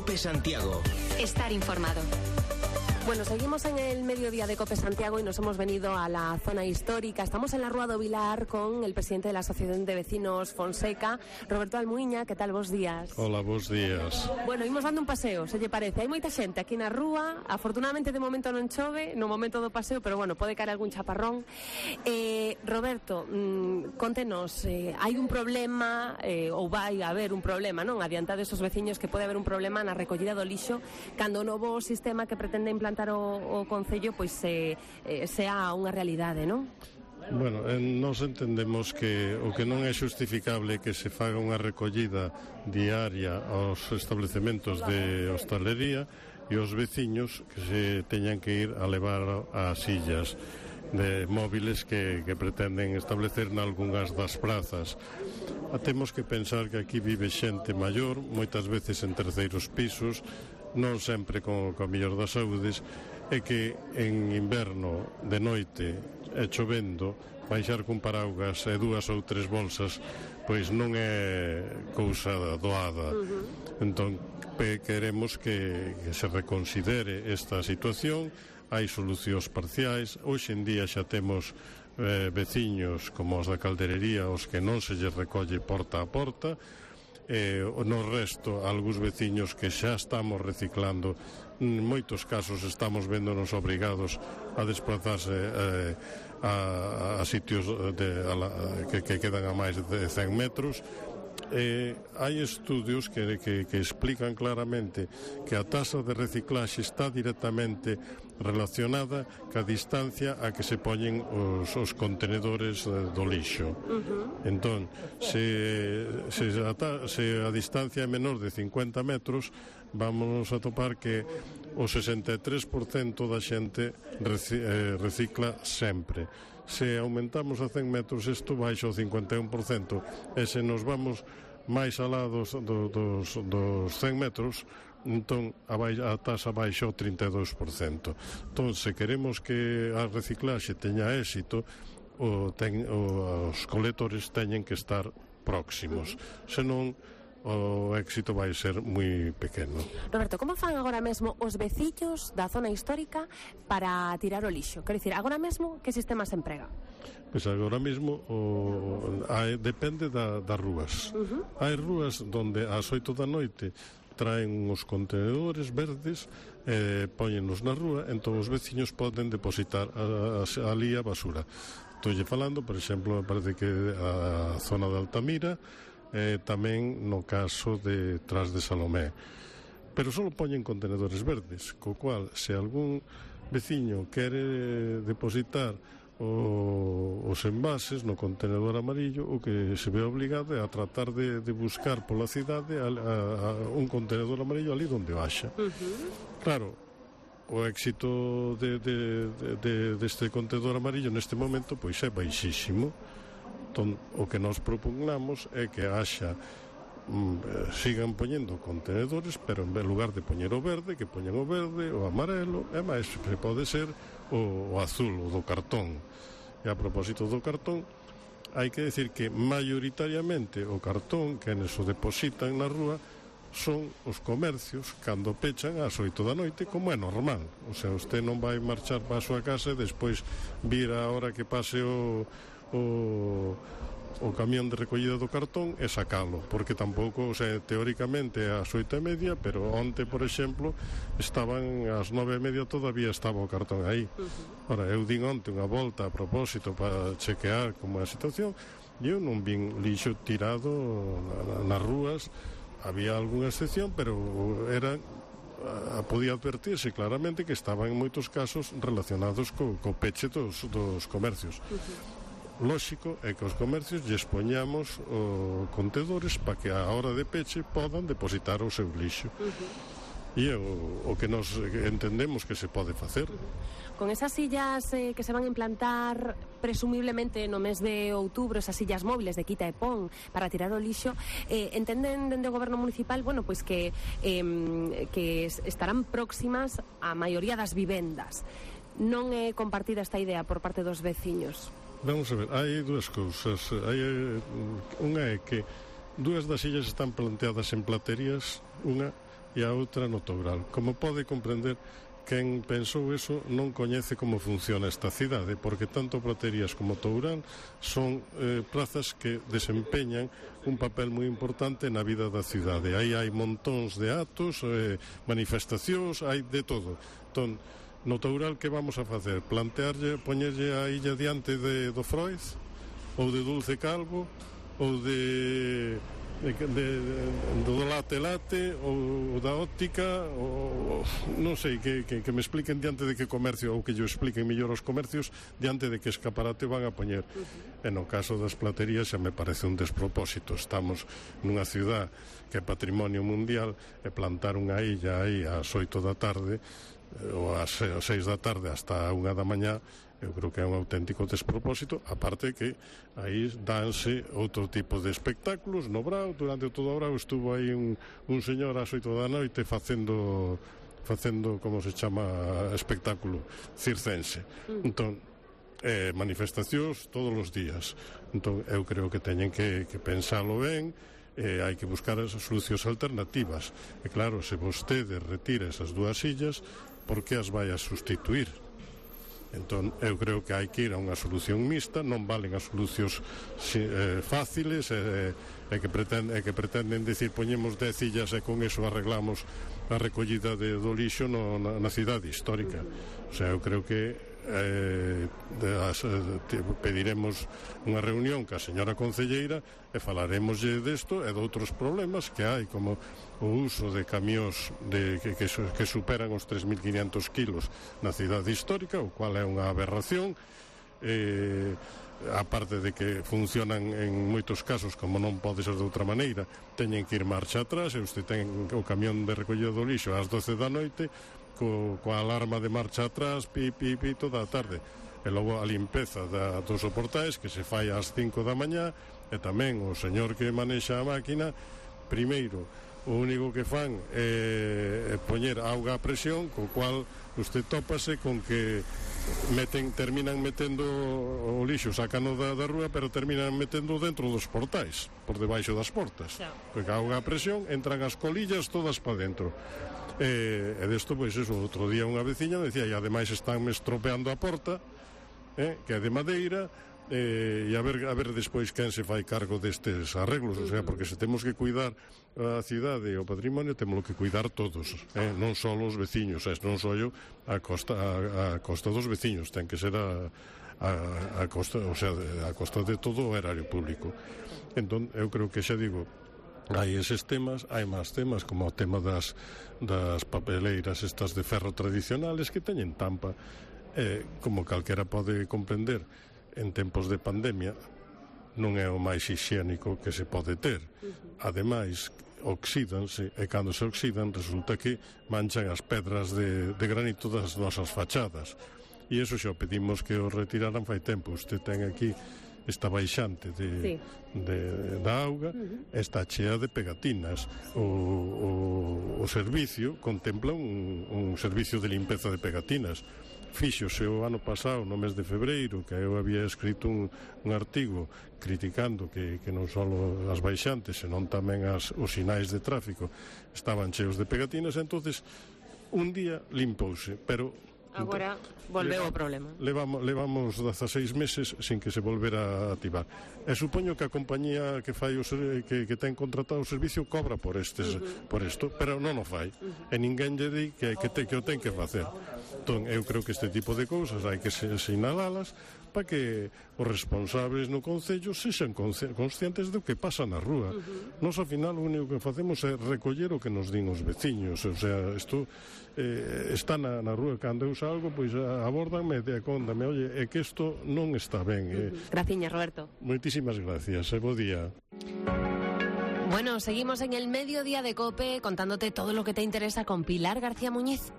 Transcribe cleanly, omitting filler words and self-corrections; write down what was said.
COPE Santiago. Estar informado. Bueno, seguimos en el mediodía de COPE Santiago y nos hemos venido a la zona histórica. Estamos en la Rúa do Vilar con el presidente de la Asociación de Vecinos Fonseca, Roberto Almuiña. Que tal, bos días? Hola, bos días. Bueno, imos dando un paseo, se lle parece. Hai moita xente aquí na rúa, afortunadamente de momento non chove, no momento do paseo, pero bueno, pode caer algún chaparrón. Roberto, contenos, hai un problema, ou vai haber un problema, non? Adiantade esos veciños que pode haber un problema na recollida do lixo cando o novo sistema que pretende implantar o Concello pois sea unha realidade, non? Bueno, nós entendemos que o que non é xustificable que se faga unha recollida diaria aos establecementos de hostalería e os veciños que se teñan que ir a levar as sillas de móviles que pretenden establecer nalgunhas das prazas. Temos que pensar que aquí vive xente maior, moitas veces en terceiros pisos, non sempre co mellor das saúdes, e que en inverno de noite e chovendo baixar con paraugas e 2 ou 3 bolsas pois non é cousa doada. Entón queremos que se reconsidere esta situación. Hai solucións parciais. Hoxe en día xa temos veciños como os da Calderería os que non se lles recolle porta a porta. No resto, algúns veciños que xa estamos reciclando. En moitos casos estamos véndonos obrigados a desplazarse a sitios que quedan a máis de 100 metros. Hai estudios que explican claramente que a taxa de reciclaxe está directamente relacionada ca distancia a que se poñen os contenedores do lixo. Entón, se a distancia é menor de 50 metros, vamos a topar que o 63% da xente recicla sempre. Se aumentamos a 100 metros, isto baixa o 51%, e se nos vamos máis alá dos 100 metros, entón a taxa baixa o 32%. Entón, se queremos que a reciclaxe teña éxito, os colectores teñen que estar próximos, senón o éxito vai ser moi pequeno. Roberto, como fan agora mesmo os veciños da zona histórica para tirar o lixo? Quero dicir, agora mesmo que sistema se emprega? Pois agora mesmo depende das rúas. Hai rúas onde ás 8 da noite traen uns contenedores verdes, póñenos na rúa, entón os veciños poden depositar ali a basura. Estou falando, por exemplo, me parece que a zona de Altamira, tamén no caso de Tras de Salomé, pero só poñen contenedores verdes, co cual se algún veciño quere depositar os envases no contenedor amarillo, o que se ve obligado é a tratar de buscar pola cidade un contenedor amarillo ali onde baixa. Claro, o éxito deste contenedor amarillo neste momento pois é baixísimo. Entón, o que nos propugnamos é que sigan poñendo contenedores, pero en lugar de poñer o verde, que poñan o verde, o amarelo, e máis que pode ser o azul, o do cartón. E a propósito do cartón, hai que decir que maioritariamente o cartón que neso depositan na rúa son os comercios cando pechan ás 8 da noite, como é normal. O sea, usted non vai marchar para a súa casa e despois vir a hora que pase o camión de recollida do cartón e sacalo, porque tampouco, o sea, teóricamente é ás 8:30, pero onte, por exemplo, estaban ás 9:30, todavía estaba o cartón aí. Ora, eu din onte unha volta a propósito para chequear como é a situación, e eu non vin lixo tirado nas rúas. Había algunha excepción, pero podía advertirse claramente que estaban en moitos casos relacionados co peche dos comercios. Lóxico é que os comercios lles poñamos contedores para que a hora de peche podan depositar o seu lixo. E é o que nos entendemos que se pode facer. Con esas sillas que se van a implantar presumiblemente no mes de outubro, esas sillas móviles de quita e pon para tirar o lixo, entenden dende o goberno municipal, bueno, pois que estarán próximas á maioría das vivendas. Non é compartida esta idea por parte dos veciños? Vamos a ver, hai dúas cousas. Unha é que dúas das sillas están planteadas en platerías, unha, e a outra no Toural. Como pode comprender, quen pensou eso non coñece como funciona esta cidade, porque tanto Praterías como Toural son prazas que desempeñan un papel moi importante na vida da cidade. Aí hai montóns de actos, manifestacións, hai de todo. Entón, no Toural, que vamos a facer? Plantearlle, poñerlle a illa diante do Freud, ou de Dulce Calvo, ou do late ou da óptica, ou non sei, que me expliquen diante de que comercio, ou que yo expliquen mellor os comercios diante de que escaparate van a poñer. E no caso das platerías xa me parece un despropósito. Estamos nunha ciudad que é patrimonio mundial, e plantar unha illa aí ás 8 da tarde ou ás 6 da tarde hasta a 1 da mañá, eu creo que é un auténtico despropósito, aparte que aí danse outro tipo de espectáculos. No Brao, durante todo o Brao, estuvo aí un señor ás 8 da noite facendo, como se chama, espectáculo circense. Entón, manifestacións todos os días. Entón, eu creo que teñen que pensalo ben, hai que buscar as solucións alternativas. E claro, se vostede retira esas dúas sillas, por que as vai a sustituir? Entón, eu creo que hai que ir a unha solución mixta. Non valen as solucións fáciles que pretenden decir poñemos 10 illas e con eso arreglamos a recollida do lixo na cidade histórica. O sea, eu creo que pediremos unha reunión ca señora concelleira e falaremoslle desto e de outros problemas que hai, como o uso de camións que superan os 3.500 kilos na cidade histórica, o cual é unha aberración, aparte de que funcionan en moitos casos como non pode ser de outra maneira, teñen que ir marcha atrás, e usted ten o camión de recollida do lixo ás 12 da noite coa alarma de marcha atrás, pi toda a tarde, e logo a limpeza dos soportais que se fai ás 5 da mañá, e tamén o señor que manexa a máquina, primeiro o único que fan é poñer auga a presión, co cual usted tópase con que terminan metendo o lixo, sácano da rúa, pero terminan metendo dentro dos portais, por debaixo das portas, porque a auga a presión entran as colillas todas para dentro. E desto, pois eso, outro día unha veciña decía, e ademais estánme estropeando a porta, que é de madeira, e a ver despois quen se fai cargo destes arreglos. O sea, porque se temos que cuidar a cidade e o patrimonio, temos que cuidar todos, non só os veciños, non só eu a costa dos veciños, ten que ser a costa, o sea, a costa de todo o erario público. Entón, eu creo que xa digo, hai eses temas, hai máis temas, como o tema das papeleiras estas de ferro tradicionales que teñen tampa, como calquera pode comprender, en tempos de pandemia non é o máis hixiénico que se pode ter. Ademais, oxídanse, e cando se oxidan resulta que manchan as pedras de granito das nosas fachadas, e iso xa pedimos que o retiraran fai tempo. Usted ten aquí esta baixante da auga, está chea de pegatinas. O servicio contempla un servicio de limpeza de pegatinas. Fíxose o ano pasado, no mes de febreiro, que eu había escrito un artigo criticando que non só as baixantes, senón tamén os sinais de tráfico estaban cheos de pegatinas. Entonces un día limpouse, pero agora volveu o problema. Levamos 16 meses sin que se volvera a activar. E supoño que a compañía que fai que ten contratado o servicio cobra por isto, pero non o fai. E ninguén lle di que o ten que facer. Entón, eu creo que este tipo de cousas hai que sinalalas para que os responsables no concello sexan conscientes do que pasa na rúa. Nos, ao final, o único que facemos é recoller o que nos din os veciños. O sea, isto está na rúa. Cando eu salgo, pois abórdanme e acóndame, oye, é que isto non está ben. Graciñas, Roberto. Moitísimas gracias, bo día. Bueno, seguimos en el Mediodía de COPE contándote todo lo que te interesa con Pilar García Muñiz.